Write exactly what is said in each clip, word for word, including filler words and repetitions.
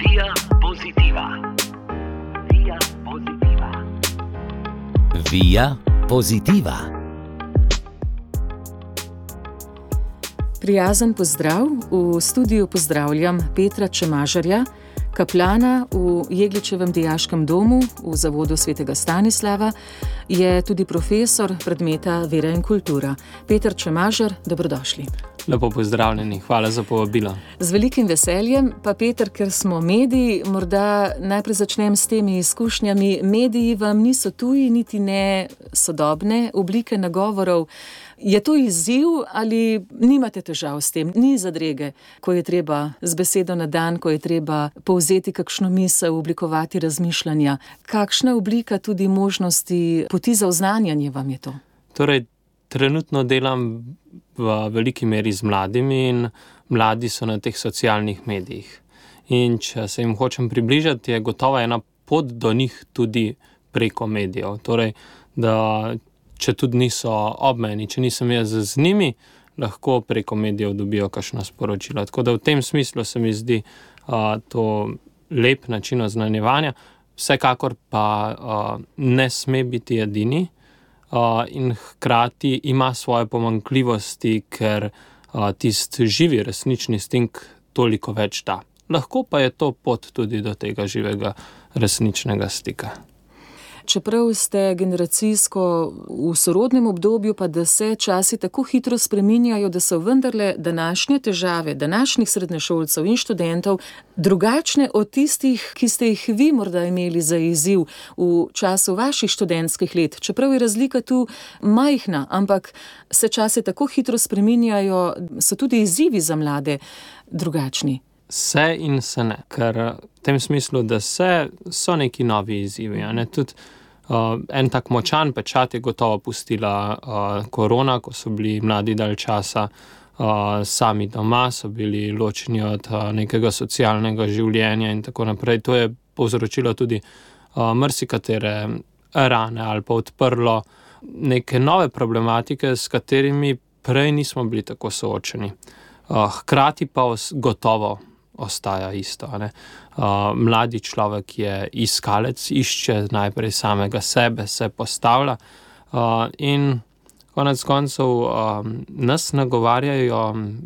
Via Positiva. Via Positiva. Via Positiva. Prijazen pozdrav. V studiu pozdravljam Petra Čemažarja, kaplana v Jegličevem dijaškem domu v Zavodu svetega Stanislava, je tudi profesor predmeta Vera in kultura. Peter Čemažar, dobrodošli. Lepo pozdravljeni, hvala za povabilo. Z velikim veseljem, pa Peter, ker smo mediji, morda najprej začnem s temi izkušnjami. Mediji vam niso tuji, niti ne sodobne oblike nagovorov. Je to izziv ali nimate težav s tem? Ni zadrege, ko je treba z besedo na dan, ko je treba povzeti kakšno misel, oblikovati razmišljanja. Kakšna oblika tudi možnosti poti za oznanjanje vam je to? Torej, trenutno delam v veliki meri z mladimi in mladi so na teh socialnih medijih. In če se jim hočem približati, je gotovo ena pot do njih tudi preko medijev. Torej, da če tudi niso ob meni, če nisem jaz z njimi, lahko preko medijev dobijo kakšno sporočilo. Tako da v tem smislu se mi zdi uh, to lep način oznanjevanja. Vsekakor pa uh, ne sme biti edini uh, in hkrati ima svoje pomanjkljivosti, ker uh, tisti živi resnični stik toliko več da. Lahko pa je to pot tudi do tega živega resničnega stika. Čeprav ste generacijsko v sorodnem obdobju, pa da se časi tako hitro spreminjajo, da so vendarle današnje težave, današnjih srednješolcev in študentov drugačne od tistih, ki ste jih vi morda imeli za izziv v času vaših študentskih let. Čeprav je razlika tu majhna, ampak se časi tako hitro spreminjajo, so tudi izzivi za mlade drugačni. Se in se ne, ker v tem smislu, da se so neki novi izzivi. Ne? Tudi uh, en tak močan pečat je gotovo pustila uh, korona, ko so bili mladi dalj časa uh, sami doma, so bili ločeni od uh, nekega socialnega življenja in tako naprej. To je povzročilo tudi uh, marsikatere rane ali pa odprlo neke nove problematike, s katerimi prej nismo bili tako soočeni. Uh, hkrati pa os- gotovo ostaja isto. Ne? Uh, mladi človek je iskalec, išče najprej samega sebe, se postavlja uh, in konec koncev uh, nas nagovarjajo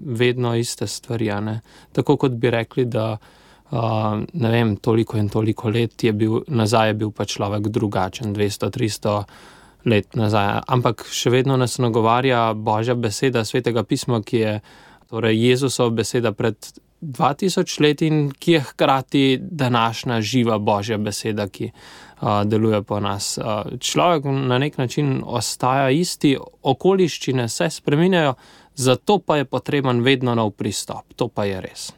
vedno iste stvari. Ne? Tako kot bi rekli, da uh, ne vem, toliko in toliko let je bil, nazaj je bil pa človek drugačen, dvesto, tristo let nazaj. Ampak še vedno nas nagovarja Božja beseda, Svetega pisma, ki je torej Jezusova beseda pred dva tisoč let in ki je hkrati današnja živa Božja beseda, ki uh, deluje po nas. Uh, človek na nek način ostaja isti, okoliščine se spreminjajo, zato pa je potreben vedno nov pristop. To pa je res.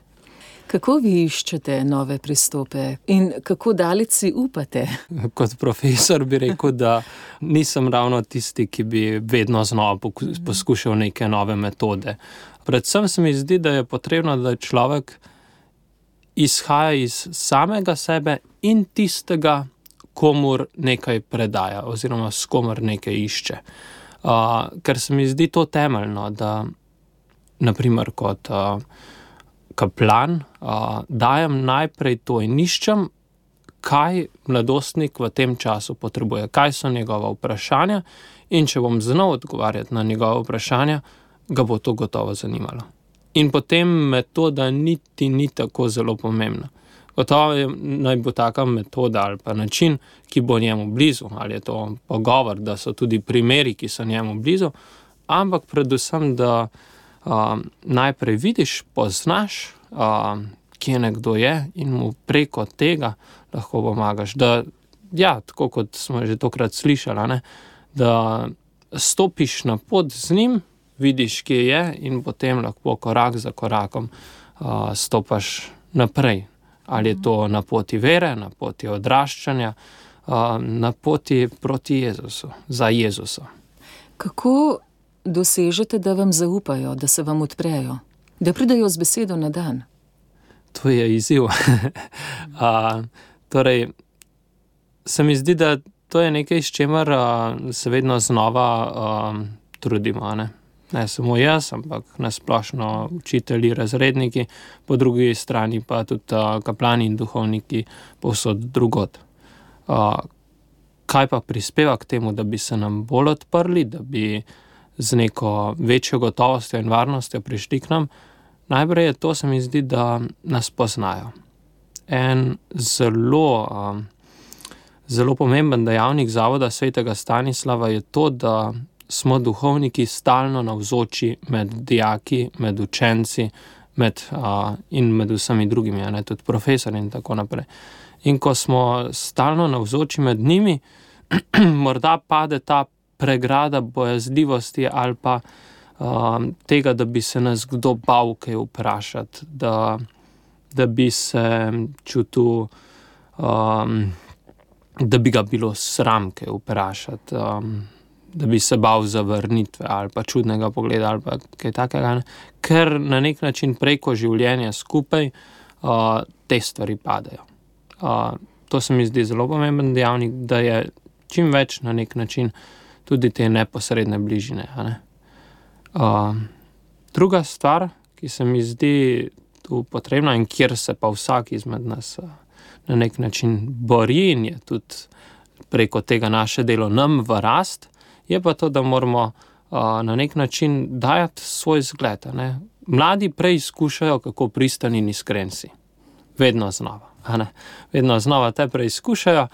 Kako vi iščete nove pristope in kako daleč si upate? Kot profesor bi rekel, da nisem ravno tisti, ki bi vedno znova poskušal neke nove metode. Predvsem se mi zdi, da je potrebno, da človek izhaja iz samega sebe in tistega, komur nekaj predaja oziroma s komur nekaj išče. Uh, ker se mi zdi to temeljno, da naprimer kot uh, kaplan uh, dajem najprej to in iščem, kaj mladostnik v tem času potrebuje, kaj so njegova vprašanja in če bom znal odgovarjati na njegova vprašanja, ga bo to gotovo zanimalo. In potem metoda niti ni tako zelo pomembna. Gotovo je, naj bo taka metoda ali pa način, ki bo njemu blizu, ali je to pogovor, da so tudi primeri, ki so njemu blizu, ampak predvsem, da uh, najprej vidiš, poznaš, uh, kje nekdo je in mu preko tega lahko pomagaš. Da, ja, tako kot smo že tokrat slišali, ne, da stopiš na pot z njim, vidiš, kje je in potem lahko korak za korakom uh, stopaš naprej. Ali je to na poti vere, na poti odraščanja, uh, na poti proti Jezusu, za Jezusa. Kako dosežete, da vam zaupajo, da se vam odprejo, da pridejo z besedo na dan? To je izziv. uh, torej, se mi zdi, da to je nekaj, s čemer uh, se vedno znova uh, trudimo, ne? Ne samo jaz, ampak nasplošno učitelji, razredniki, po drugi strani pa tudi uh, kaplani in duhovniki povsod drugod. Uh, kaj pa prispeva k temu, da bi se nam bolj odprli, da bi z neko večjo gotovostjo in varnostjo prišli k nam? Najprej je to, se mi zdi, da nas poznajo. En zelo, um, zelo pomemben dejavnik Zavoda svetega Stanislava je to, da smo duhovniki stalno navzoči med dijaki, med učenci med, uh, in med vsemi drugimi, ne, tudi profesori in tako naprej. In ko smo stalno navzoči med njimi, morda pade ta pregrada bojazljivosti ali pa um, tega, da bi se nas kdo bal kaj vprašati, da, da bi se čutil, um, da bi ga bilo sram kaj vprašati, um, da bi se bal zavrnitve ali pa čudnega pogleda ali pa kaj takega, ne? Ker na nek način preko življenja skupaj uh, te stvari padajo. Uh, to se mi zdi zelo pomemben dejavnik, da je čim več na nek način tudi te neposredne bližine. A ne? Uh, druga stvar, ki se mi zdi tu potrebna in kjer se pa vsak izmed nas uh, na nek način bori in je tudi preko tega naše delo nam v rast, je pa to, da moramo uh, na nek način dajati svoj zgled. Ne? Mladi preizkušajo, kako pristani in iskren si. Vedno znova. A ne? Vedno znova te preizkušajo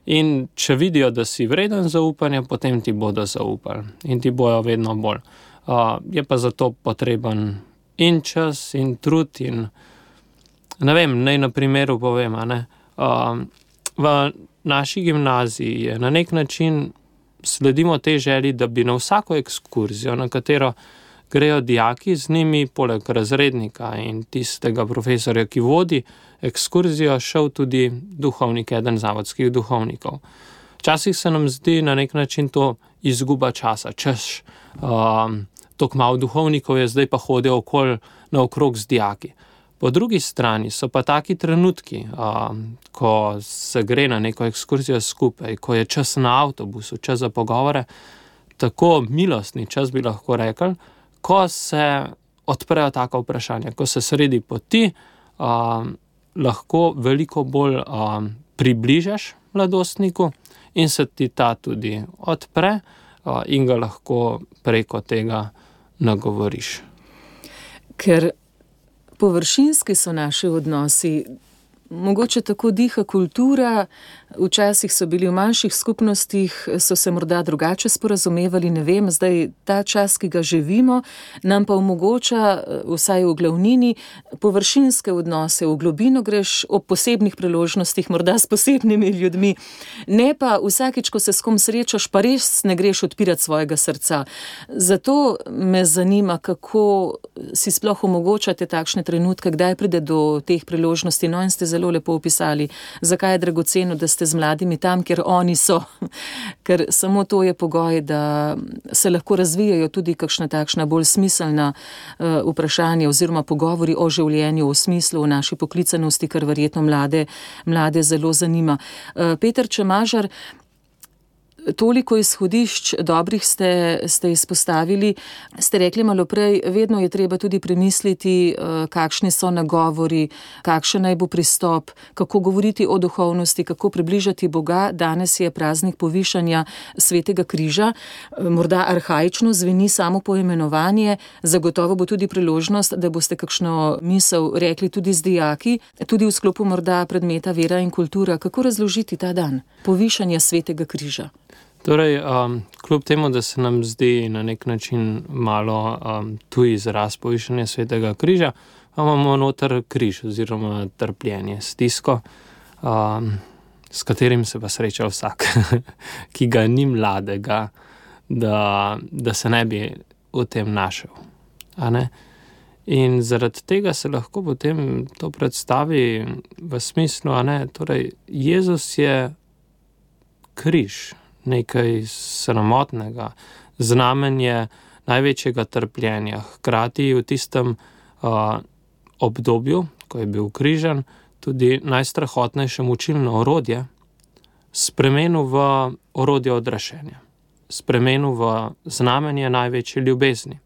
in če vidijo, da si vreden zaupanja, potem ti bodo zaupali in ti bojo vedno bolj. Uh, je pa zato potreben in čas in trud in ne vem, naj na primeru povem, a ne. Uh, v naši gimnaziji je na nek način sledimo tej želji, da bi na vsako ekskurzijo, na katero grejo dijaki, z njimi poleg razrednika in tistega profesorja, ki vodi ekskurzijo, šel tudi duhovnik, eden zavodskih duhovnikov. Včasih se nam zdi na nek način to izguba časa, češ, um, tok malo duhovnikov je, zdaj pa hodijo okoli naokrog z dijaki. Po drugi strani so pa taki trenutki, um, ko se gre na neko ekskurzijo skupaj, ko je čas na avtobusu, čas za pogovore, tako milostni čas bi lahko rekli, ko se odprejo taka vprašanja, ko se sredi poti um, lahko veliko bolj um, približaš mladostniku in se ti ta tudi odpre uh, in ga lahko preko tega nagovoriš. Ker površinski so naši odnosi, mogoče tako diha kultura, včasih so bili v manjših skupnostih, so se morda drugače sporazumevali, ne vem, zdaj ta čas, ki ga živimo, nam pa omogoča, vsaj v glavnini, površinske odnose, v globino greš ob posebnih priložnostih, morda s posebnimi ljudmi, ne pa vsakič, ko se s kom srečaš, pa res ne greš odpirati svojega srca. Zato me zanima, kako si sploh omogočate takšne trenutke, kdaj pride do teh priložnosti, no in ste zelo lepo opisali, zakaj je dragoceno, da ste z mladimi tam, kjer oni so, ker samo to je pogoj, da se lahko razvijajo tudi kakšna takšna bolj smiselna uh, vprašanja oziroma pogovori o življenju v smislu, o naši poklicanosti, kar verjetno mlade, mlade zelo zanima. Uh, Peter Čemažar, toliko izhodišč dobrih ste, ste izpostavili. Ste rekli malo prej, vedno je treba tudi premisliti, kakšni so nagovori, kakšen naj bo pristop, kako govoriti o duhovnosti, kako približati Boga. Danes je praznik povišanja Svetega križa. Morda arhaično zveni samo poimenovanje, zagotovo bo tudi priložnost, da boste kakšno misel rekli tudi z dijaki, tudi v sklopu morda predmeta vera in kultura. Kako razložiti ta dan povišanja Svetega križa? Torej, um, kljub temu, da se nam zdi na nek način malo um, tuj izraz povišanja Svetega križa, imamo noter križ oziroma trpljenje, stisko, um, s katerim se pa sreča vsak, ki ga ni mladega, da, da se ne bi v tem našel. A ne? In zaradi tega se lahko potem to predstavi v smislu, a ne, torej Jezus je križ, nekaj sramotnega, znamenje največjega trpljenja. Hkrati v tistem uh, obdobju, ko je bil križan, tudi najstrahotnejše mučilno orodje, spremenil v orodje odrešenja, spremenil v znamenje največje ljubezni.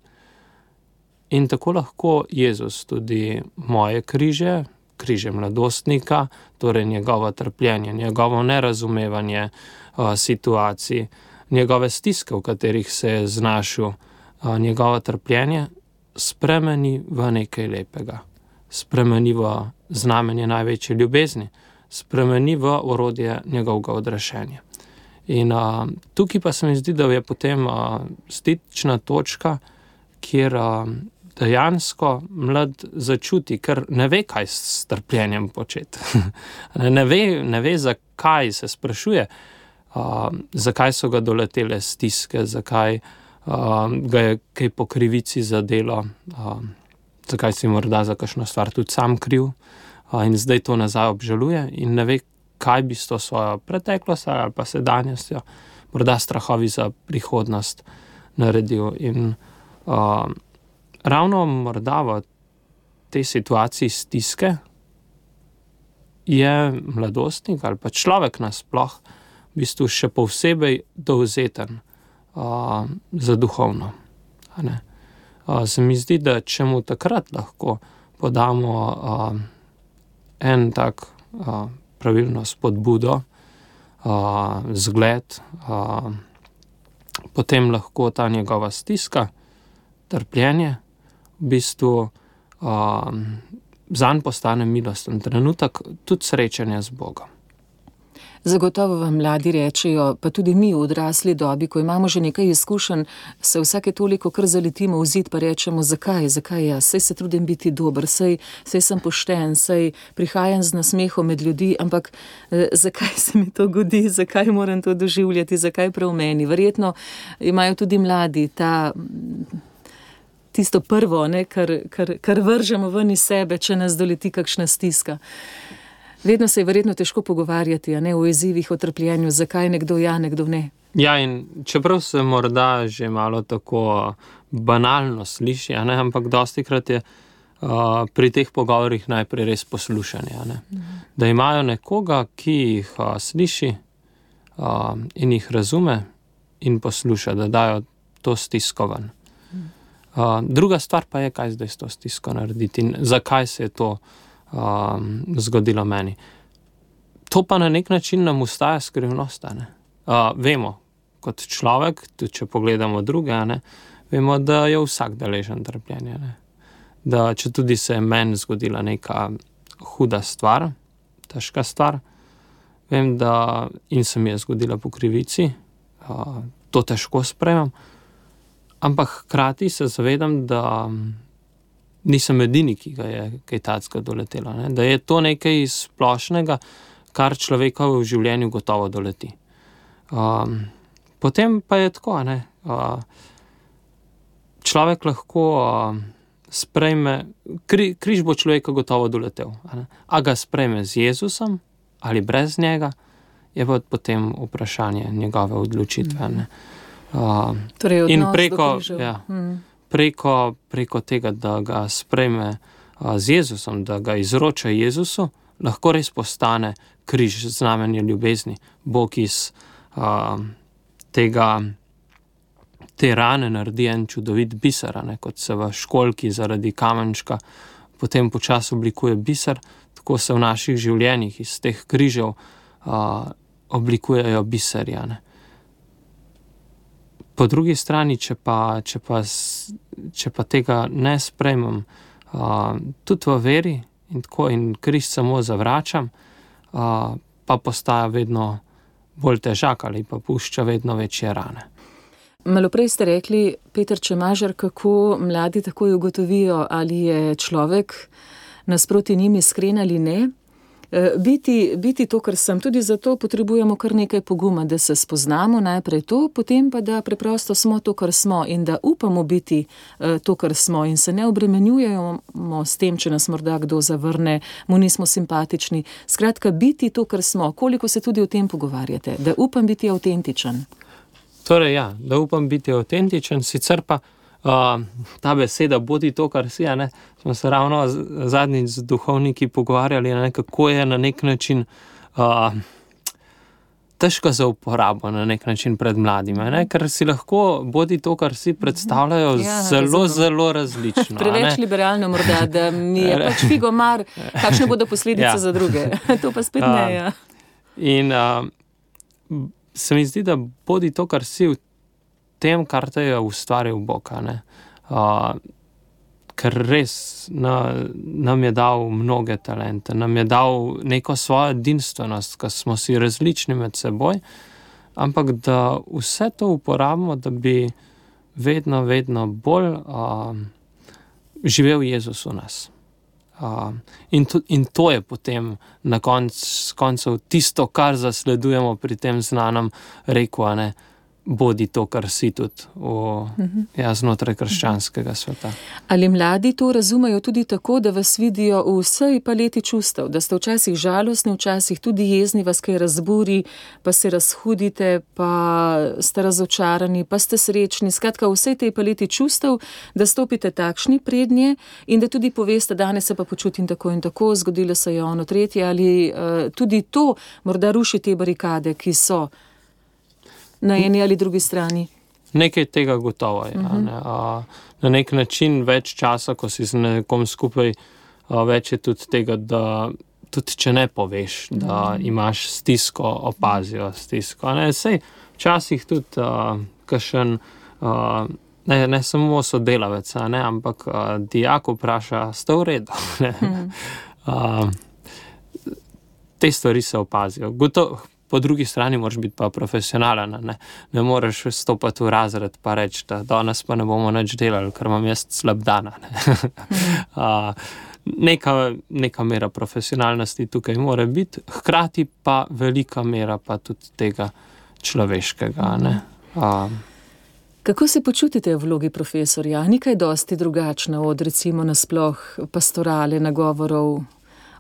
In tako lahko Jezus tudi moje križe, križe mladostnika, torej njegovo trpljenje, njegovo nerazumevanje uh, situacij, njegove stiske, v katerih se je znašel, uh, njegovo trpljenje, spremeni v nekaj lepega. Spremeni v znamenje največje ljubezni, spremeni v orodje njegovega odrešenja. In uh, tukaj pa se mi zdi, da je potem uh, stična točka, kjer uh, dejansko mlad začuti, ker ne ve, kaj s trpljenjem početi. ne, ve, ne ve, zakaj se sprašuje, uh, zakaj so ga doletele stiske, zakaj uh, ga je kaj po krivici zadelo, uh, zakaj si morda za kakšno stvar tudi sam kriv uh, in zdaj to nazaj obžaluje in ne ve, kaj bi s to svojo preteklost ali pa sedanjostjo, morda strahovi za prihodnost naredil. In uh, ravno morda v tej situaciji stiske je mladostnik ali pa človek nasploh v bistvu še posebej dovzeten uh, za duhovno. A ne? Uh, se mi zdi, da če mu takrat lahko podamo uh, en tak uh, pravilno spodbudo, uh, zgled, uh, potem lahko ta njegova stiska, trpljenje, v bistvu uh, zanj postane milosten trenutek, tudi srečanja z Bogom. Zagotovo vam mladi rečejo, pa tudi mi v odrasli dobi, ko imamo že nekaj izkušenj, se vsake toliko kar zaletimo v zid, pa rečemo, zakaj, zakaj jaz, saj se trudim biti dober, saj, saj sem pošten, saj prihajam z nasmehom med ljudi, ampak eh, zakaj se mi to godi, zakaj moram to doživljati, zakaj prav meni? Verjetno imajo tudi mladi ta, tisto prvo, ne, kar, kar, kar vržemo ven iz sebe, če nas doleti kakšna stiska. Vedno se je verjetno težko pogovarjati, a ne, o izzivih, o trpljenju, zakaj nekdo ja, nekdo ne. Ja, in čeprav se morda že malo tako banalno sliši, a ne, ampak dostikrat je uh, pri teh pogovorih najprej res poslušanje, a ne. Mhm. Da imajo nekoga, ki jih uh, sliši uh, in jih razume in posluša, da dajo to stisko ven. Mhm. Uh, druga stvar pa je, kaj zdaj s to stisko narediti in zakaj se je to Um, zgodilo meni. To pa na nek način nam ustaja skrivnost, ne. Uh, vemo, kot človek, tudi če pogledamo druge, ne, vemo, da je vsak deležen trpljenja, ne. Da če tudi se je meni zgodila neka huda stvar, težka stvar, vem, da in se mi je zgodila po krivici, uh, to težko sprejemam, ampak hkrati se zavedam, da nisem edini, ki ga je kaj tacka doletelo, ne? Da je to nekaj splošnega, kar človeka v življenju gotovo doleti. Um, potem pa je tako, ne? Uh, človek lahko uh, sprejme, kri, križ bo človeka gotovo doletel, a, a ga sprejme z Jezusom ali brez njega, je pa potem vprašanje njegove odločitve. Ne? Uh, torej, in preko, ja, hmm. Preko, preko tega, da ga sprejme a, z Jezusom, da ga izroča Jezusu, lahko res postane križ, znamenje ljubezni. Bog iz a, tega, te rane naredi en čudovit biser, ne, kot se v školjki zaradi kamenčka potem počasi oblikuje biser, tako se v naših življenjih iz teh križev a, oblikujejo biserja, ne. Po drugi strani, če pa, če pa, če pa tega ne sprejmem, uh, tudi v veri in tako in križ samo zavračam, uh, pa postaja vedno bolj težak ali pa pušča vedno večje rane. Malo prej ste rekli, Peter Čemažar, kako mladi takoj ugotovijo, ali je človek nasproti njim iskren ali ne. Biti, biti to, kar sem, tudi zato potrebujemo kar nekaj poguma, da se spoznamo najprej to, potem pa da preprosto smo to, kar smo in da upamo biti to, kar smo in se ne obremenjujemo s tem, če nas morda kdo zavrne, mu nismo simpatični. Skratka, biti to, kar smo, koliko se tudi o tem pogovarjate, da upam biti avtentičen. Torej ja, da upam biti avtentičen, sicer pa Uh, ta beseda, bodi to, kar si, ne, smo se ravno zadnjič z duhovniki pogovarjali, ne, kako je na nek način uh, težko za uporabo na nek način pred mladimi, ne? Ker si lahko bodi to, kar si predstavljajo, ja, zelo, zelo različno. Preveč liberalno morda, da mi je pač figo mar, kakšne bodo posledice ja. Za druge. To pa spet ne, ja. In uh, se mi zdi, da bodi to, kar si v tem, kar te je ustvaril Bog, ne? Uh, ker res na, nam je dal mnoge talente, nam je dal neko svojo edinstvenost, ker smo si različni med seboj, ampak da vse to uporabimo, da bi vedno, vedno bolj uh, živel Jezus v nas. Uh, in, to, in to je potem na konc, koncu tisto, kar zasledujemo pri tem znanem reku, a ne, bodi to, kar si tudi v, uh-huh. ja, znotraj krščanskega sveta. Ali mladi to razumejo tudi tako, da vas vidijo v vsej paleti čustev, da ste včasih žalostni, včasih tudi jezni, vas kaj razburi, pa se razhudite, pa ste razočarani, pa ste srečni, skratka v vsej tej paleti čustev, da stopite takšni prednje in da tudi poveste, danes se pa počutim tako in tako, zgodilo se je ono tretje, ali uh, tudi to morda ruši te barikade, ki so na eni ali drugi strani. Nekaj tega gotovo je. Uh-huh. Ne? A, na nek način več časa, ko si z nekom skupaj, a, več je tudi tega, da tudi če ne poveš, da uh-huh. imaš stisko, opazijo stisko. Ne? Sej, včasih tudi a, kakšen, a, ne, ne samo sodelavec, ne? ampak a, dijak vpraša, ste v redu? Ne? Uh-huh. A, te stvari se opazijo. Gotovo. Po drugi strani moraš biti pa profesionalen, ne, ne moreš stopati v razred pa reči, da danes pa ne bomo nič delali, ker imam jaz slab dan. Ne. uh, neka, neka mera profesionalnosti tukaj mora biti, hkrati pa velika mera pa tudi tega človeškega. Ne. Uh, Kako se počutite v vlogi profesorja? Ni kaj dosti drugačno od recimo nasploh pastorale, nagovorov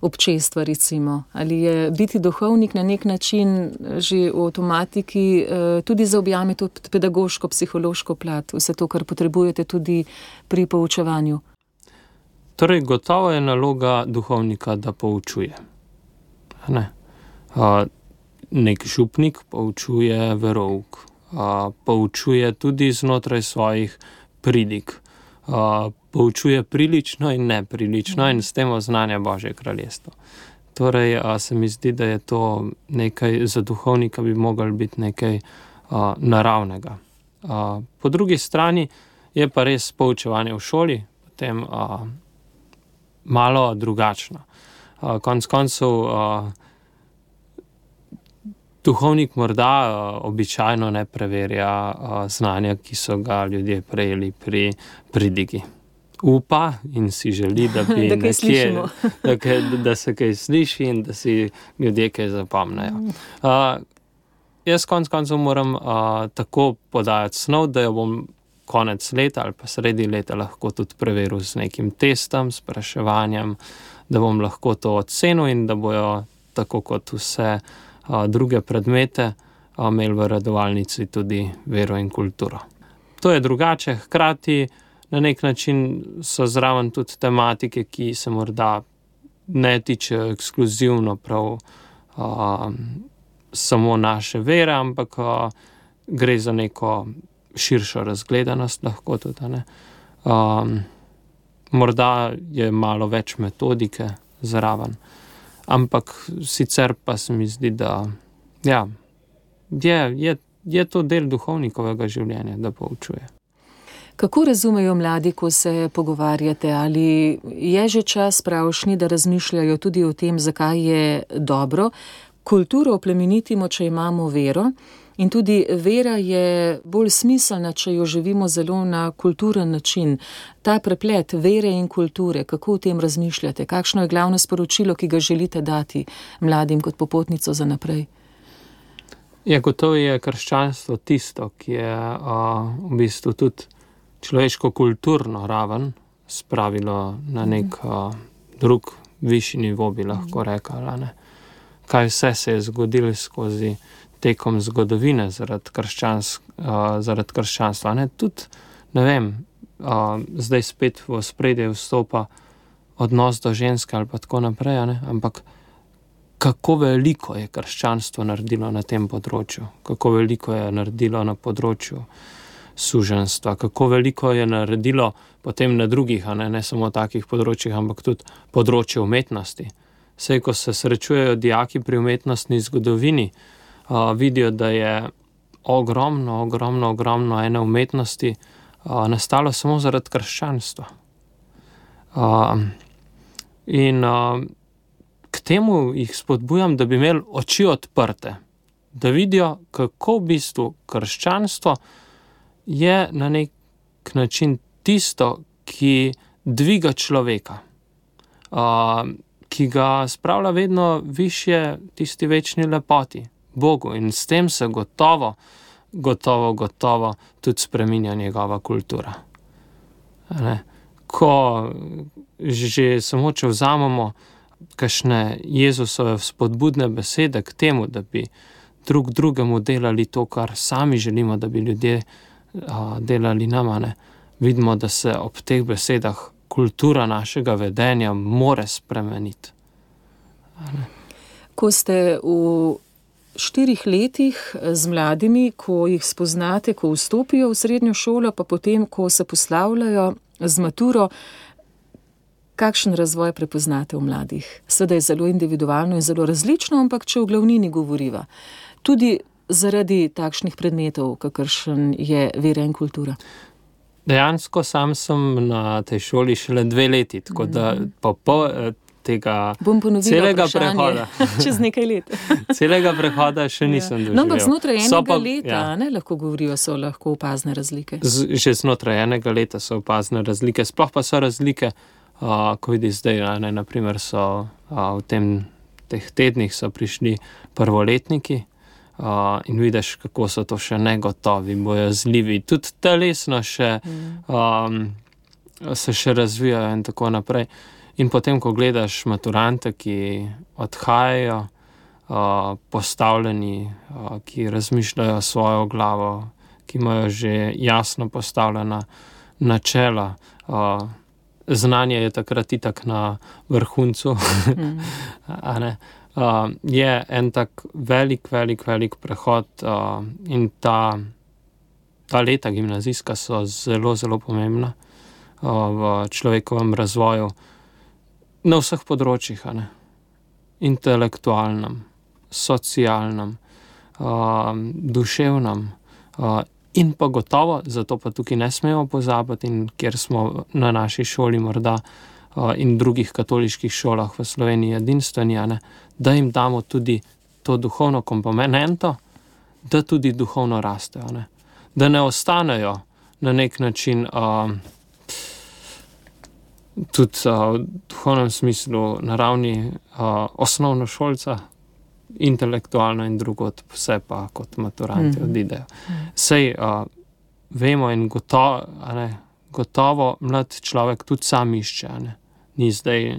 občestva recimo, ali je biti duhovnik na nek način že v avtomatiki tudi zaobjame to pedagoško, psihološko plat, vse to, kar potrebujete tudi pri poučevanju? Torej, gotovo je naloga duhovnika, da poučuje. Ne? Uh, nek župnik poučuje verouk, uh, poučuje tudi znotraj svojih pridig, uh, poučuje prilično in neprilično in s tem oznanja Božje kraljestvo. Torej, a, se mi zdi, da je to nekaj, za duhovnika bi moglo biti nekaj a, naravnega. A, po drugi strani je pa res poučevanje v šoli potem a, malo drugačno. A, konc koncev a, duhovnik morda a, običajno ne preverja a, znanja, ki so ga ljudje prejeli pri pridigi. Upa in si želi, da bi da, nekje, da, da, da se kaj sliši in da si ljudje kaj zapomnejo. Uh, jaz konc koncev moram uh, tako podajati snov, da jo bom konec leta ali pa sredi leta lahko tudi preveril z nekim testom, spraševanjem, da bom lahko to ocenil in da bojo tako kot vse uh, druge predmete uh, imeli v redovalnici tudi vero in kulturo. To je drugače, hkrati na nek način so zraven tudi tematike, ki se morda ne tičejo ekskluzivno prav uh, samo naše vere, ampak uh, gre za neko širšo razgledanost lahko tudi. Ne? Um, morda je malo več metodike zraven, ampak sicer pa se mi zdi, da ja, je, je, je to del duhovnikovega življenja, da poučuje. Kako razumejo mladi, ko se pogovarjate? Ali je že čas pravšnji, da razmišljajo tudi o tem, zakaj je dobro kulturo oplemenitimo, če imamo vero? In tudi vera je bolj smiselna, če jo živimo zelo na kulturen način. Ta preplet vere in kulture, kako o tem razmišljate? Kakšno je glavno sporočilo, ki ga želite dati mladim kot popotnico za naprej? Ja, gotovo je krščanstvo tisto, ki je uh, v bistvu tudi človeško-kulturno raven spravilo na nek uh, drug višji nivo, bi lahko rekla. Ne? Kaj vse se je zgodilo skozi tekom zgodovine zaradi, krščans, uh, zaradi krščanstva. Ne? Tudi, ne vem, uh, zdaj spet v ospredje vstopa odnos do ženske ali pa tako naprej, ne? Ampak kako veliko je krščanstvo naredilo na tem področju, kako veliko je naredilo na področju suženjstva, kako veliko je naredilo potem na drugih, a ne, ne samo takih področjih, ampak tudi področje umetnosti. Sej, ko se srečujejo dijaki pri umetnostni zgodovini, uh, vidijo, da je ogromno, ogromno, ogromno ene umetnosti uh, nastalo samo zaradi krščanstva. Uh, in uh, k temu jih spodbujam, da bi imeli oči odprte, da vidijo, kako v bistvu krščanstvo je na nek način tisto, ki dviga človeka, uh, ki ga spravlja vedno višje tisti večni lepoti, Bogu, in s tem se gotovo, gotovo, gotovo tudi spreminja njegova kultura. Ne? Ko že samo, če vzamemo kakšne Jezusove spodbudne besede k temu, da bi drug drugemu delali to, kar sami želimo, da bi ljudje a, delali nama, ne? Vidimo, da se ob teh besedah kultura našega vedenja more spremeniti. Ko ste v štirih letih z mladimi, ko jih spoznate, ko vstopijo v srednjo šolo, pa potem, ko se poslavljajo z maturo, kakšen razvoj prepoznate v mladih? Seveda je zelo individualno in zelo različno, ampak če v glavnini govoriva. Tudi zaradi takšnih predmetov, kakršen je vera in kultura. Dejansko sam sem na tej šoli šele dve leti, tako da po pol tega celega prehoda. Čez nekaj let. celega prehoda še nisem doživel. No, ampak znotraj enega pa, leta, ja. ne, lahko govorijo, so lahko opazne razlike. Z, že znotraj enega leta so opazne razlike, sploh pa so razlike, uh, ko vidiš zdaj, ne, naprimer so uh, v tem, teh tednih so prišli prvoletniki, Uh, in vidiš, kako so to še negotovi, bojazljivi, tudi telesno še, um, se še razvijajo in tako naprej. In potem, ko gledaš maturante, ki odhajajo, uh, postavljeni, uh, ki razmišljajo svojo glavo, ki imajo že jasno postavljena načela, uh, znanje je takrat itak na vrhuncu, mm. a ne? Uh, je en tak velik, velik, velik prehod uh, in ta, ta leta gimnazijska so zelo, zelo pomembna uh, v človekovem razvoju na vseh področjih, a ne? Intelektualnem, socialnem, uh, duševnem uh, in pa gotovo, zato pa tukaj ne smemo pozabiti, in kjer smo na naši šoli morda in drugih katoliških šolah v Sloveniji edinstveni, da jim damo tudi to duhovno komponento, da tudi duhovno rastejo. Ne? Da ne ostanejo na nek način uh, tudi uh, v duhovnem smislu na ravni uh, osnovnošolca, intelektualno in drugot, vse pa kot maturanti mm. odidejo. Sej uh, vemo in gotovo, ne, gotovo mlad človek tudi sam išče, ne? Ni zdaj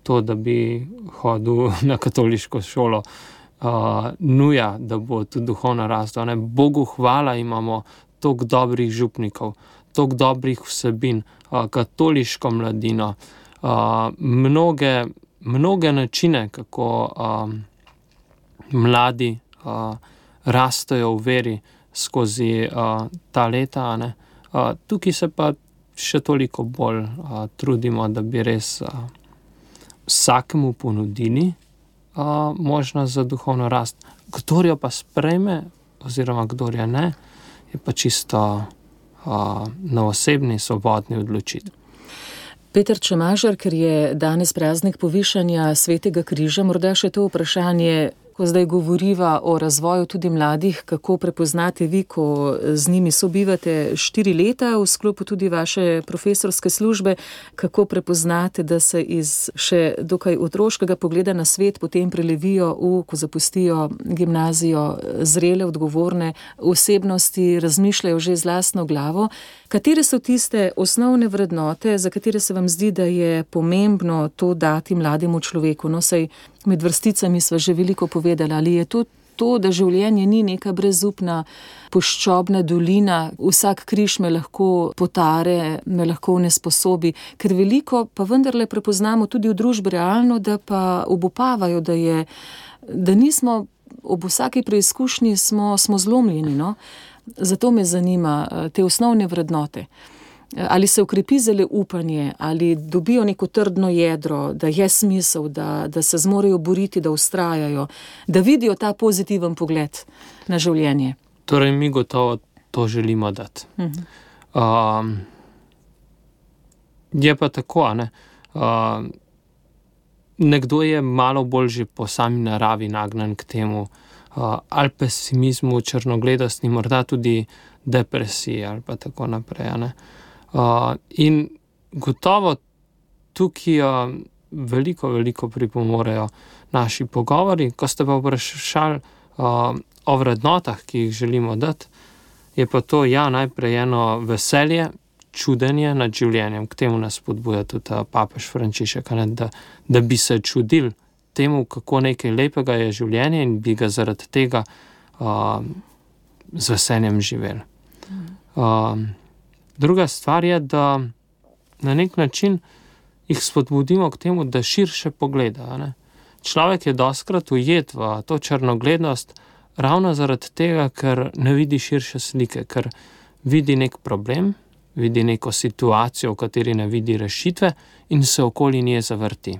to, da bi hodil na katoliško šolo, uh, nuja, da bo tudi duhovno rastel. Ne? Bogu hvala, imamo toliko dobrih župnikov, toliko dobrih vsebin, uh, katoliško mladino, uh, mnoge, mnoge načine, kako uh, mladi uh, rastejo v veri skozi uh, ta leta. Ne? Uh, tukaj se pa še toliko bolj uh, trudimo, da bi res uh, vsakemu ponudili uh, možnost za duhovno rast. Kdor jo pa sprejme, oziroma kdor jo ne, je pa čisto uh, na osebni, svobodni odločitvi. Peter Čemažar, ker je danes praznik povišanja Svetega križa, morda še to vprašanje, ko zdaj govoriva o razvoju tudi mladih, kako prepoznate vi, ko z njimi sobivate štiri leta v sklopu tudi vaše profesorske službe, kako prepoznate, da se iz še dokaj otroškega pogleda na svet potem prelevijo v, ko zapustijo gimnazijo, zrele, odgovorne osebnosti, razmišljajo že z lastno glavo. Katere so tiste osnovne vrednote, za katere se vam zdi, da je pomembno to dati mlademu človeku? No, sej med vrsticami sva že veliko povedala, ali je to to, da življenje ni neka brezupna puščobna dolina, vsak križ me lahko potare, me lahko nesposobi, ker veliko pa vendarle prepoznamo tudi v družbi realno, da pa obupavajo, da je, da nismo, ob vsaki preizkušnji smo, smo zlomljeni, no. Zato me zanima te osnovne vrednote. Ali se ukrepi zale upanje, ali dobijo neko trdno jedro, da je smisel, da, da se zmorejo boriti, da ustrajajo, da vidijo ta pozitiven pogled na življenje. Torej, mi gotovo to želimo dati. Uh-huh. Um, je pa tako, ne? Uh, nekdo je malo bolj že po sami naravi nagnan k temu, uh, ali pesimizmu, črnogledosti, morda tudi depresiji ali pa tako naprej, ne? Uh, in gotovo tukaj uh, veliko, veliko pripomorejo naši pogovori. Ko ste pa vprašali uh, o vrednotah, ki jih želimo dati, je pa to ja, najprej eno veselje, čudenje nad življenjem. K temu nas spodbuja tudi papež Frančišek, ne, da, da bi se čudili temu, kako nekaj lepega je življenje in bi ga zaradi tega uh, z veseljem živeli. Uh, Druga stvar je, da na nek način jih spodbudimo k temu, da širše pogleda. Ne? Človek je dostikrat ujet v to črnogledost ravno zaradi tega, ker ne vidi širše slike, ker vidi nek problem, vidi neko situacijo, v kateri ne vidi rešitve in se okoli nje zavrti.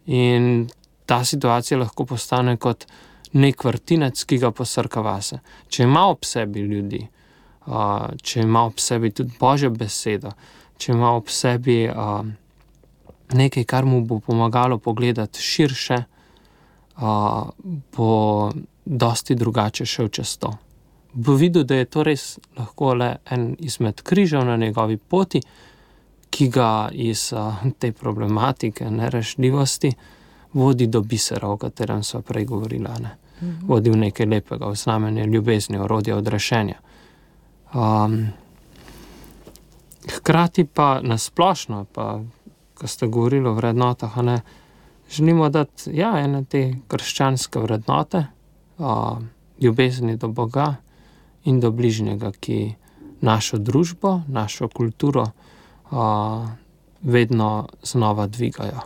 In ta situacija lahko postane kot nek vrtinec, ki ga posrka vase. Če ima ob sebi ljudi, Uh, če ima ob sebi tudi Božjo besedo, če ima ob sebi uh, nekaj, kar mu bo pomagalo pogledati širše, uh, bo dosti drugače šel čez to. Bo videl, da je to res lahko le en izmed križev na njegovi poti, ki ga iz uh, te problematike nerešljivosti vodi do bisera, o katerem sva prej govorila. Ne? Mhm. Vodi v nekaj lepega, v znamenje ljubezni, orodje odrešenja. Um, hkrati pa nasplošno, pa ko ste govorili o vrednotah, ne, želimo dati ja, ene te krščanske vrednote, uh, ljubezni do Boga in do bližnjega, ki našo družbo, našo kulturo uh, vedno znova dvigajo.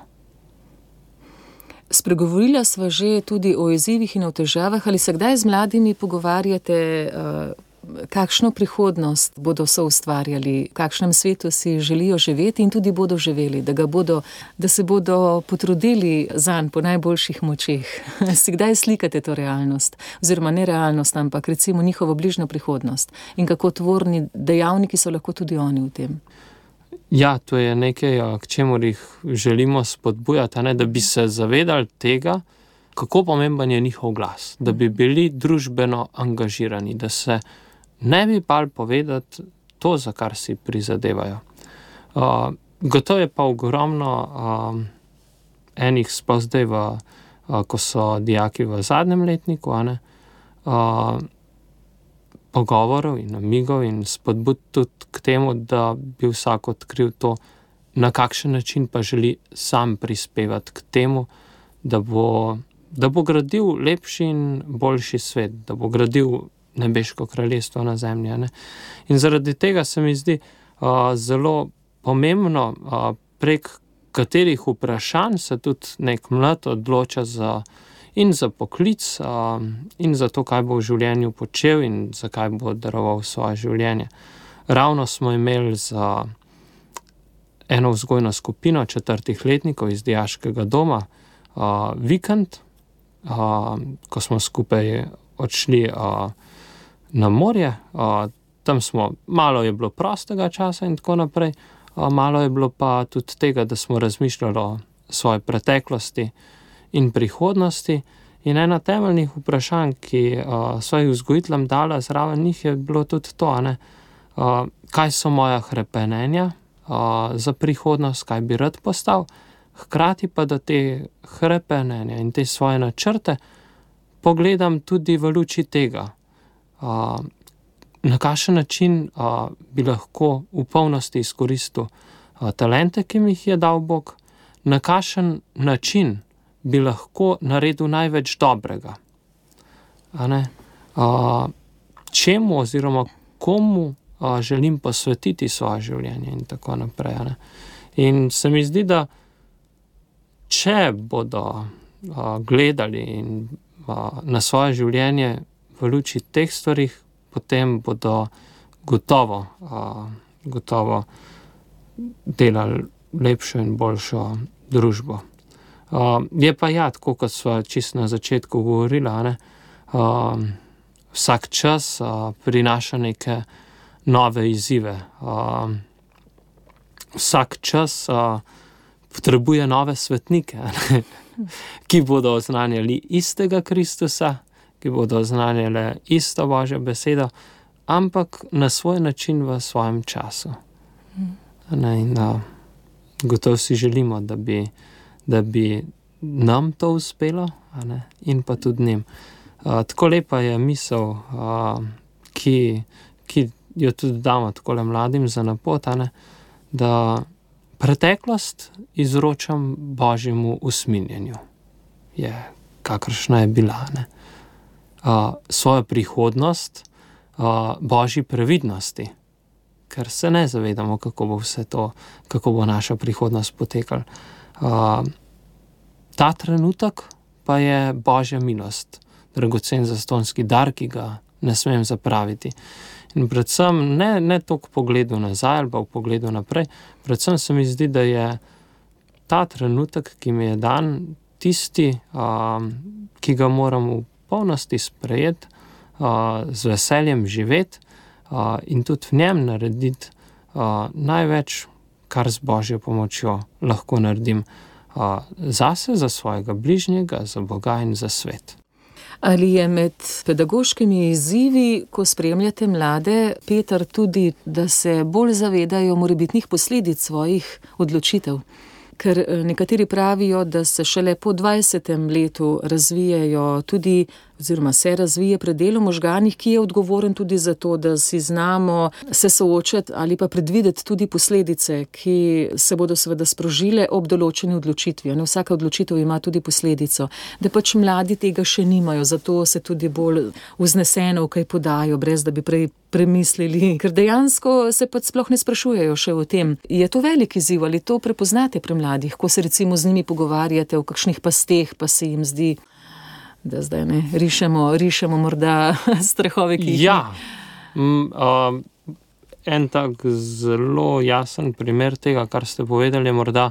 Spregovorila sva že tudi o izzivih in o težavah, ali se kdaj z mladimi pogovarjate, uh, kakšno prihodnost bodo soustvarjali, v kakšnem svetu si želijo živeti in tudi bodo živeli, da, ga bodo, da se bodo potrudili zanj po najboljših močeh. Si kdaj slikate to realnost? Oziroma ne realnost, ampak recimo njihovo bližnjo prihodnost. In kako tvorni dejavniki so lahko tudi oni v tem? Ja, to je nekaj, k čemur jih želimo spodbujati, ne, da bi se zavedali tega, kako pomemben je njihov glas, da bi bili družbeno angažirani, da se ne bi bali povedati to, za kar si prizadevajo. Uh, gotovo je pa ogromno uh, enih sploh zdaj, v, uh, ko so dijaki v zadnjem letniku, ne, uh, pogovorov in namigov in spodbud tudi k temu, da bi vsak odkril to, na kakšen način pa želi sam prispevati k temu, da bo, da bo gradil lepši in boljši svet, da bo gradil nebeško kraljestvo na zemlji. Ne? In zaradi tega se mi zdi uh, zelo pomembno, uh, prek katerih vprašanj se tudi nek mlad odloča za, in za poklic, uh, in za to, kaj bo v življenju počel in za kaj bo daroval svoje življenje. Ravno smo imeli za eno vzgojno skupino četrtih letnikov iz dijaškega doma uh, vikend, uh, ko smo skupaj odšli uh, na morje, uh, tam smo, malo je bilo prostega časa in tako naprej, uh, malo je bilo pa tudi tega, da smo razmišljali o svoji preteklosti in prihodnosti. In ena temeljnih vprašanj, ki uh, svojih vzgojiteljem dala zraven njih, je bilo tudi to, ne, uh, kaj so moja hrepenenja uh, za prihodnost, kaj bi rad postal, hkrati pa da te hrepenenja in te svoje načrte pogledam tudi v luči tega, uh, na kakšen način uh, bi lahko v polnosti izkoristil uh, talente, ki mi jih je dal Bog, na kakšen način bi lahko naredil največ dobrega. a ne, a, čemu oziroma komu a, želim posvetiti svoje življenje in tako naprej. A ne. In se mi zdi, da če bodo a, gledali in, a, na svoje življenje v luči teh stvarih, potem bodo gotovo, a, gotovo delali lepšo in boljšo družbo. Uh, je pa ja, tako kot sva čisto na začetku govorila, ne? Uh, vsak čas uh, prinaša neke nove izzive. Uh, vsak čas uh, potrebuje nove svetnike, ne? Ki bodo oznanjali istega Kristusa, ki bodo oznanjali isto Božjo besedo, ampak na svoj način v svojem času. Ne? In uh, gotovo si želimo, da bi da bi nam to uspelo, a ne? In pa tudi njim. Uh, tako lepa je misel, uh, ki, ki jo tudi damo takole mladim za napot, a ne? Da preteklost izročam Božjemu usmiljenju. Je, kakršna je bila. Ne? Uh, svojo prihodnost uh, Božji previdnosti, ker se ne zavedamo, kako bo vse to, kako bo naša prihodnost potekala. Uh, ta trenutek pa je Božja milost, dragocen zastonski dar, ki ga ne smem zapraviti. In predvsem ne, ne toliko v pogledu nazaj ali pa v pogledu naprej, predvsem se mi zdi, da je ta trenutek, ki mi je dan, tisti, uh, ki ga moram v polnosti sprejeti, uh, z veseljem živeti uh, in tudi v njem narediti uh, največ, kar z Božjo pomočjo lahko naredim uh, zase, za svojega bližnjega, za Boga in za svet. Ali je med pedagoškimi izzivi, ko spremljate mlade, Peter, tudi, da se bolj zavedajo morebitnih posledic svojih odločitev? Ker nekateri pravijo, da se šele po dvajsetem letu razvijajo tudi, oziroma se razvije predel v možganih, ki je odgovoren tudi za to, da si znamo se soočati ali pa predvideti tudi posledice, ki se bodo seveda sprožile ob določeni odločitvi. Ne, vsaka odločitev ima tudi posledico. Da pač mladi tega še nimajo, zato se tudi bolj vzneseno kaj podajo, brez da bi prej premislili, ker dejansko se pač sploh ne sprašujejo še o tem. Je to velik izziv, ali to prepoznate pri mladih, ko se recimo z njimi pogovarjate o kakšnih pasteh, pa se jim zdi, da zdaj ne rišemo, rišemo morda strahove, ki jih. Ja, mm, uh, en tak zelo jasen primer tega, kar ste povedali, je morda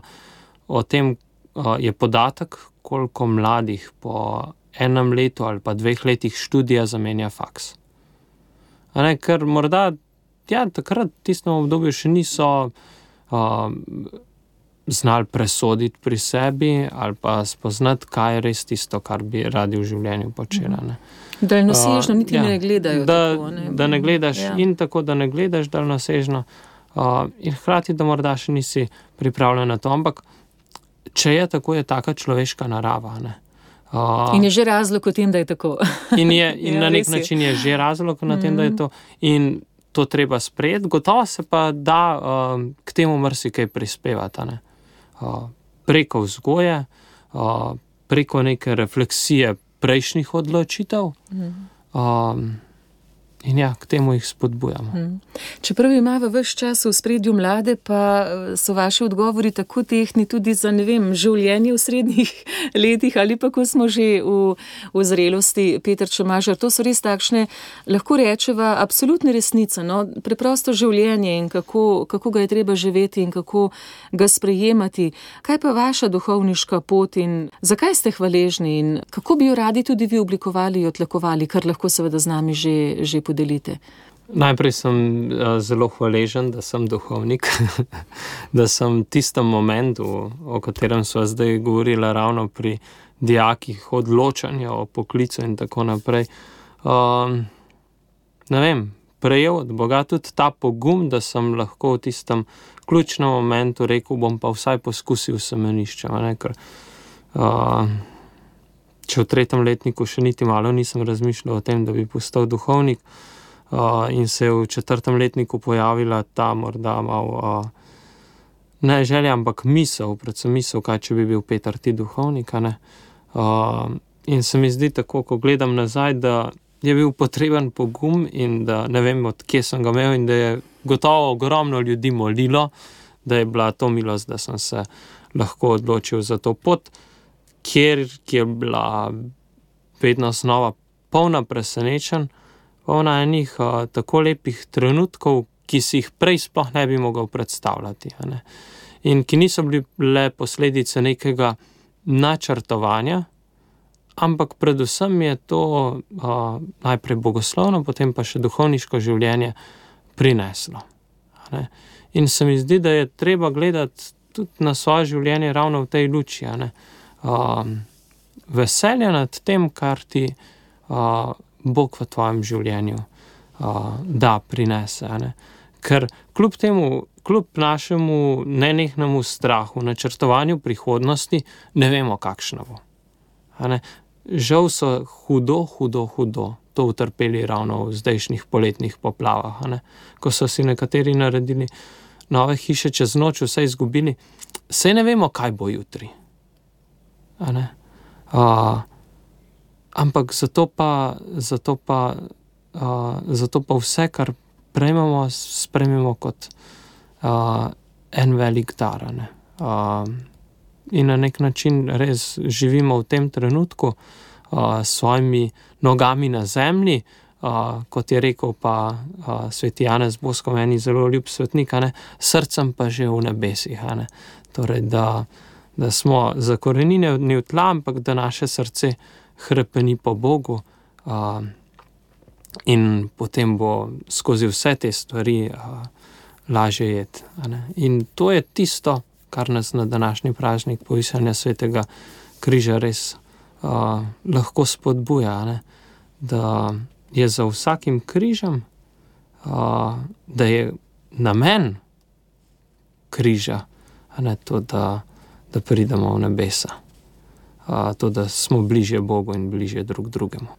o tem, uh, je podatek, koliko mladih po enem letu ali pa dveh letih študija zamenja faks. A ne, ker morda, ja, takrat v tistem obdobju še niso uh, znali presoditi pri sebi ali pa spoznati, kaj je res tisto, kar bi radi v življenju počela. Ne. Daljnosežno niti uh, ja, ne gledajo. Da, tako, ne. da ne gledaš ja. In tako, da ne gledaš daljnosežno uh, in hkrati, da morda še nisi pripravljen na to, ampak če je tako, je taka človeška narava, ne. Uh, in je že razlog v tem, da je tako. In, je, in ja, na nek je. način je že razlog na tem, da je to. In to treba sprejeti. Gotovo se pa da uh, k temu marsikaj prispevati. Ne? Uh, preko vzgoje, uh, preko neke refleksije prejšnjih odločitev. Mm. Um, in ja, k temu jih spodbujamo. Mm. Čeprav ima v ves čas v spredju mlade, pa so vaši odgovori tako tehni tudi za, ne vem, življenje v srednjih letih ali pa ko smo že v, v zrelosti. Peter Čemažar, to so res takšne, lahko rečeva, absolutne resnice, no, preprosto življenje in kako, kako ga je treba živeti in kako ga sprejemati. Kaj pa vaša duhovniška pot in zakaj ste hvaležni in kako bi jo radi tudi vi oblikovali in otlakovali, kar lahko seveda z nami že, že podelite? Najprej sem uh, zelo hvaležen, da sem duhovnik, da sem tistem momentu, o katerem sva zdaj govorila ravno pri dijakih, odločanja o poklicu in tako naprej. Um, ne vem, prejel od Boga tudi ta pogum, da sem lahko v tistem ključnem momentu rekel, bom pa vsaj poskusil semenišče. Ne, ker, uh, če v tretjem letniku še niti malo nisem razmišljal o tem, da bi postal duhovnik, Uh, in se je v četrtem letniku pojavila ta morda malo, uh, ne želja, ampak misel, predvsem misel, kaj če bi bil Peter ti duhovnik, ne? Uh, in se mi zdi tako, ko gledam nazaj, da je bil potreben pogum in da ne vem, od kje sem ga imel in da je gotovo ogromno ljudi molilo, da je bila to milost, da sem se lahko odločil za to pot, kjer je bila vedno znova polna presenečenj, polna enih uh, tako lepih trenutkov, ki si jih prej sploh ne bi mogel predstavljati. Ne? In ki niso bili le posledice nekega načrtovanja, ampak predvsem je to uh, najprej bogoslovno, potem pa še duhovniško življenje prineslo. Ne? In se mi zdi, da je treba gledati tudi na svoje življenje ravno v tej luči. Ne? Uh, veselje nad tem, kar ti uh, Bog v tvojem življenju uh, da prinese. Ne? Ker kljub temu, kljub našemu nenehnemu strahu, načrtovanju prihodnosti, ne vemo, kakšna bo. Ne? Žal so hudo, hudo, hudo to utrpeli ravno v zdajšnjih poletnih poplavah. Ne? Ko so si nekateri naredili nove hiše čez noč, vse izgubili, saj ne vemo, kaj bo jutri. A ne? Uh, ampak zato pa, zato pa, uh, zato pa vse, kar prejmemo, sprejmemo kot uh, en velik dar. Ne? Uh, in na nek način res živimo v tem trenutku uh, s svojimi nogami na zemlji, uh, kot je rekel pa uh, sveti Janez Bosko, meni zelo ljub svetnik, ne? Srcem pa že v nebesih. Ne? Torej, da, da smo zakorenjeni v tla, ampak da naše srce hrepeni po Bogu uh, in potem bo skozi vse te stvari uh, lažje jeti. In to je tisto, kar nas na današnji praznik povišanja svetega križa res uh, lahko spodbuja, ne? Da je za vsakim križem, uh, da je namen križa, ne? To, da, da pridemo v nebesa. Uh, to, da smo bližje Bogu in bližje drug drugemu.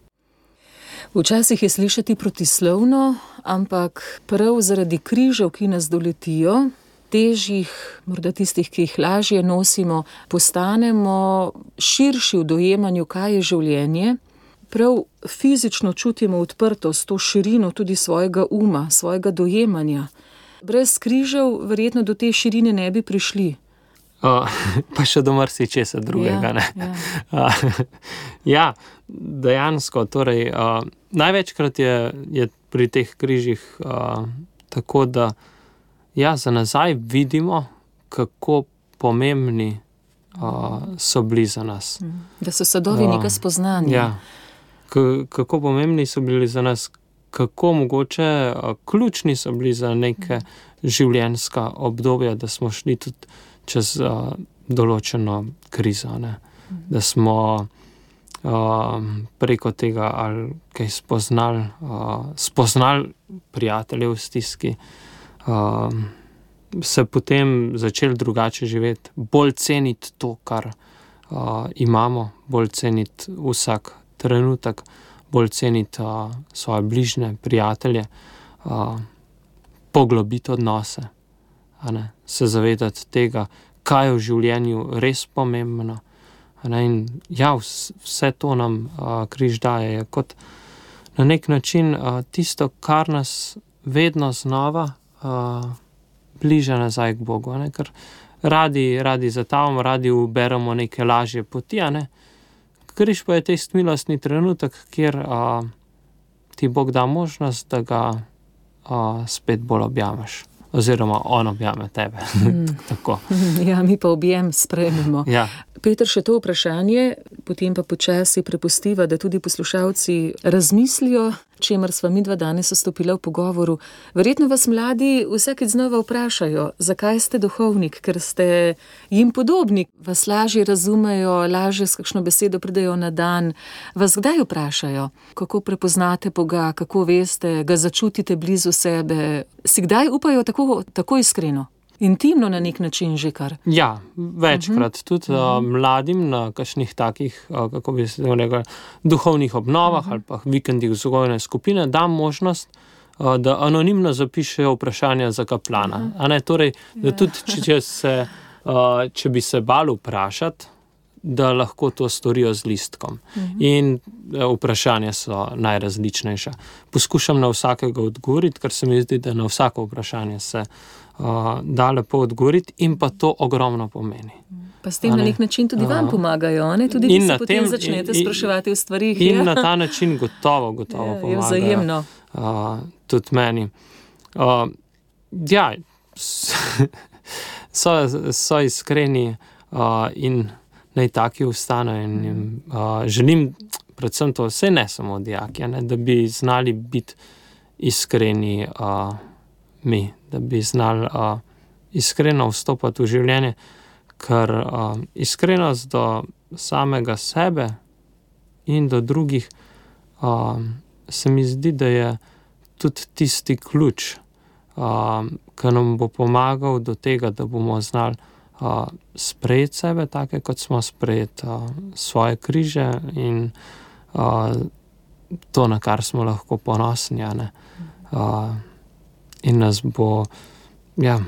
Včasih je slišati protislovno, ampak prav zaradi križev, ki nas doletijo, težjih, morda tistih, ki jih lažje nosimo, postanemo širši v dojemanju, kaj je življenje. Prav fizično čutimo odprtost, to širino tudi svojega uma, svojega dojemanja. Brez križev verjetno do te širine ne bi prišli. Uh, pa še do marsičesa drugega. Ja, ne? ja. Uh, ja, dejansko. Torej, uh, največkrat je, je pri teh križih uh, tako, da ja, za nazaj vidimo, kako pomembni uh, so bili za nas. Da so sadovi uh, nekaj spoznanja. Ja, K- kako pomembni so bili za nas, kako mogoče uh, ključni so bili za neke življenjska obdobja, da smo šli tudi čez uh, določeno krizo, ne? Da smo uh, preko tega ali kaj spoznali, uh, spoznali prijatelje v stiski, uh, se potem začeli drugače živeti, bolj ceniti to, kar uh, imamo, bolj ceniti vsak trenutek, bolj ceniti uh, svoje bližnje, prijatelje, uh, poglobiti odnose. Se zavedati tega, kaj je v življenju res pomembno. In ja, vse to nam uh, križ daje, je kot na nek način uh, tisto, kar nas vedno znova uh, bliža nazaj k Bogu. Ne? Ker radi, radi zatavamo, radi uberemo neke lažje poti. Ne? Križ pa je tisti milostni trenutek, kjer uh, ti Bog da možnost, da ga uh, spet bolj objameš. Oziroma on objame tebe. Mm. Tako. Ja, mi pa objem sprejmemo. Ja. Peter, še to vprašanje, potem pa počasi prepustiva, da tudi poslušalci razmislijo, čemer sva midva danes vstopila v pogovoru. Verjetno vas mladi vsakič znova vprašajo, zakaj ste duhovnik, ker ste jim podobni, vas lažje razumejo, lažje s kakšno besedo pridejo na dan. Vas kdaj vprašajo, kako prepoznate Boga, kako veste, ga začutite blizu sebe? Si kdaj upajo tako, tako iskreno? Intimno na nek način že kar. Ja, večkrat uh-huh. tudi uh, mladim na kakšnih takih, uh, kako bi se rekel, duhovnih obnovah uh-huh. ali pa vikendih vzgojne skupine dam možnost, uh, da anonimno zapišejo vprašanja za kaplana. Uh-huh. A ne, torej, da tudi, če, se, uh, če bi se bal vprašati, da lahko to storijo z listkom. Mhm. In vprašanja so najrazličnejša. Poskušam na vsakega odgovoriti, ker se mi zdi, da na vsako vprašanje se uh, da lepo odgovoriti in pa to ogromno pomeni. Pa s tem na nek način tudi vam pomagajo, ne? Tudi vi se potem tem, začnete in, spraševati o stvarih. In ja? na ta način gotovo, gotovo ja, pomagajo. Vzajemno. Uh, tudi meni. Uh, ja, so, so iskreni uh, in naj taki ostanejo in jim uh, želim predvsem to, vse ne samo dijaki, ne, da bi znali biti iskreni uh, mi, da bi znali uh, iskreno vstopati v življenje, ker uh, iskrenost do samega sebe in do drugih uh, se mi zdi, da je tudi tisti ključ, uh, ki nam bo pomagal do tega, da bomo znali uh, sprejeti sebe, take kot smo, sprejeti uh, svoje križe in uh, to, na kar smo lahko ponosni, ne? Uh, in nas bo ja,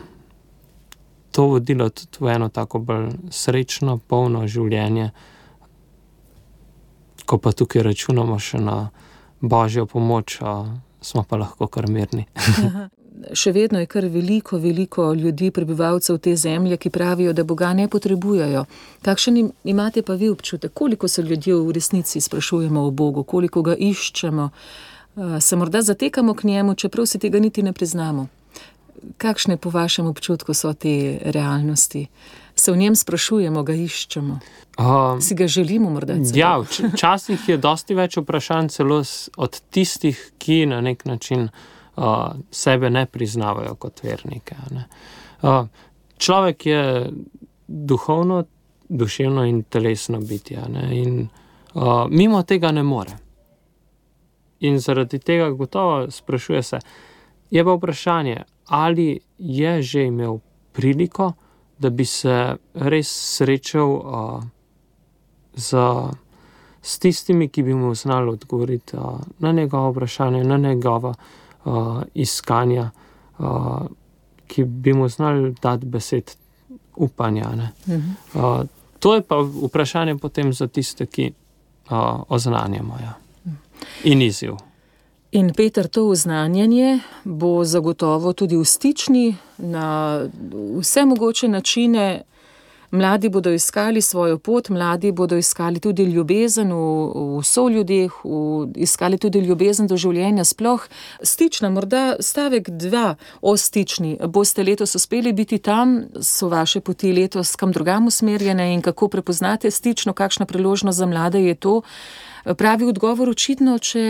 to vodilo tudi v eno tako bolj srečno, polno življenje, ko pa tukaj računamo še na Božjo pomoč, uh, smo pa lahko kar mirni. Še vedno je kar veliko, veliko ljudi, prebivalcev te zemlje, ki pravijo, da Boga ne potrebujejo. Kakšen imate pa vi občutek? Koliko se ljudje v resnici sprašujemo o Bogu, koliko ga iščemo, se morda zatekamo k njemu, čeprav si tega niti ne priznamo? Kakšne po vašem občutku so te realnosti? Se v njem sprašujemo, ga iščemo? Uh, si ga želimo morda celo? Ja, včasih je dosti več vprašanj celo od tistih, ki na nek način uh, sebe ne priznavajo kot vernike. Ne? Uh, človek je duhovno, duševno in telesno bitje, ne? In uh, mimo tega ne more. In zaradi tega gotovo sprašuje se, je pa vprašanje, ali je že imel priliko, da bi se res srečal uh, z, s tistimi, ki bi mu znali odgovoriti uh, na njegovo vprašanje, na njegova uh, iskanja, uh, ki bi mu znali dati besed upanja. Ne? Mhm. Uh, to je pa vprašanje potem za tiste, ki uh, oznanjamo. Ja. In izziv. In Peter, to oznanjanje bo zagotovo tudi v stični na vse mogoče načine. Mladi bodo iskali svojo pot, mladi bodo iskali tudi ljubezen v, v soljudeh, v, iskali tudi ljubezen do življenja sploh. Stična, morda stavek dva o stični. Boste letos uspeli biti tam, so vaše poti letos kam drugam usmerjene in kako prepoznate stično, kakšna priložnost za mlade je to? Pravi odgovor očitno, če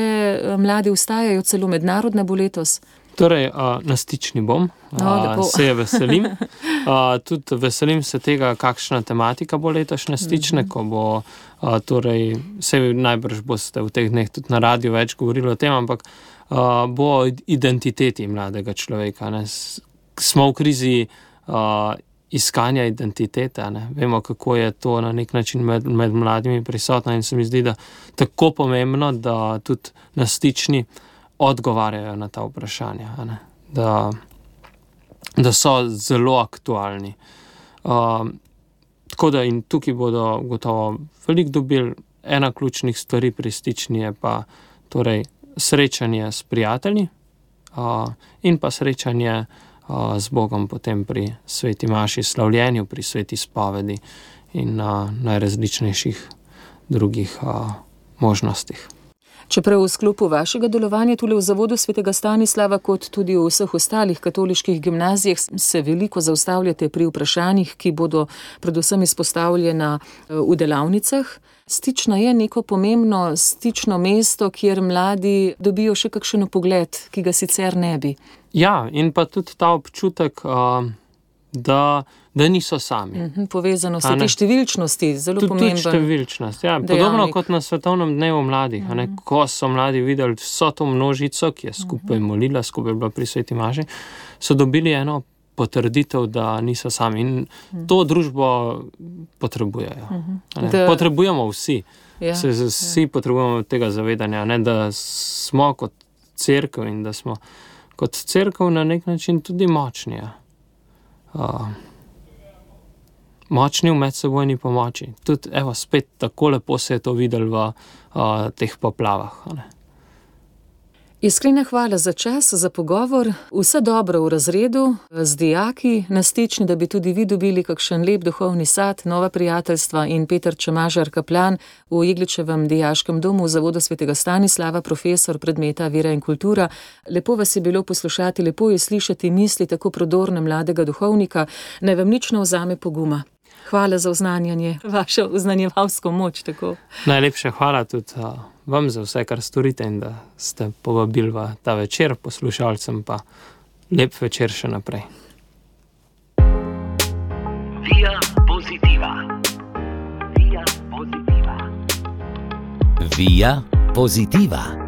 mladi vstajajo, celo mednarodne bo letos. Torej, na stični bom, no, se je veselim. Tudi veselim se tega, kakšna tematika bo letošnje stične, ko bo, torej, se najbrž boste v teh dneh tudi na radiju več govorili o tem, ampak bo o identiteti mladega človeka. Ne. Smo v krizi iskanja identitete, ne. Vemo, kako je to na nek način med, med mladimi prisotno in se mi zdi, da tako pomembno, da tudi na stični odgovarjajo na ta vprašanja, ne? Da, da so zelo aktualni. Uh, tako da in tukaj bodo gotovo veliko dobili. Ena ključnih stvari pri stični je pa torej srečanje s prijatelji uh, in pa srečanje uh, z Bogom potem pri sveti maši, slavljenju, pri sveti spovedi in uh, najrazličnejših drugih uh, možnostih. Čeprav v sklopu vašega delovanja tule v Zavodu svetega Stanislava, kot tudi v vseh ostalih katoliških gimnazijah, se veliko zaustavljate pri vprašanjih, ki bodo predvsem izpostavljena v delavnicah. Stična je neko pomembno stično mesto, kjer mladi dobijo še kakšen pogled, ki ga sicer ne bi. Ja, in pa tudi ta občutek, da, da niso sami. Mhm, povezano so te številčnosti, zelo tudi, pomemben. Tudi številčnost, ja. Podobno kot na svetovnem dnevu mladih, mhm. a ne, ko so mladi videli vso to množico, ki je skupaj molila, skupaj bila pri sveti maši, so dobili eno potrditev, da niso sami. In mhm. to družbo potrebujejo. Mhm. Da... Potrebujemo vsi. Ja, se, vsi ja. Potrebujemo tega zavedanja, ne, da smo kot cerkev in da smo kot cerkev na nek način tudi močni. Uh, močni v medsebojni pomoči. Tudi, evo, spet tako lepo se je to videlo v uh, teh poplavah. Ne? Iskrena hvala za čas, za pogovor. Vse dobro v razredu, z dijaki, na Stični, da bi tudi vi dobili kakšen lep duhovni sad, nova prijateljstva in Peter Čemažar, kaplan v Jegličevem dijaškem domu v Zavodu svetega Stanislava, profesor predmeta Vera in kultura. Lepo vas je bilo poslušati, lepo je slišati misli tako prodorne mladega duhovnika. Naj vam nič ne vzame poguma. Hvala za oznanjanje, vašo oznanjevalsko moč. Tako. Najlepša hvala tudi uh, vam za vse, kar storite in da ste povabili v ta večer, poslušalcem pa lep večer še naprej. Via Positiva. Via Positiva. Via Positiva.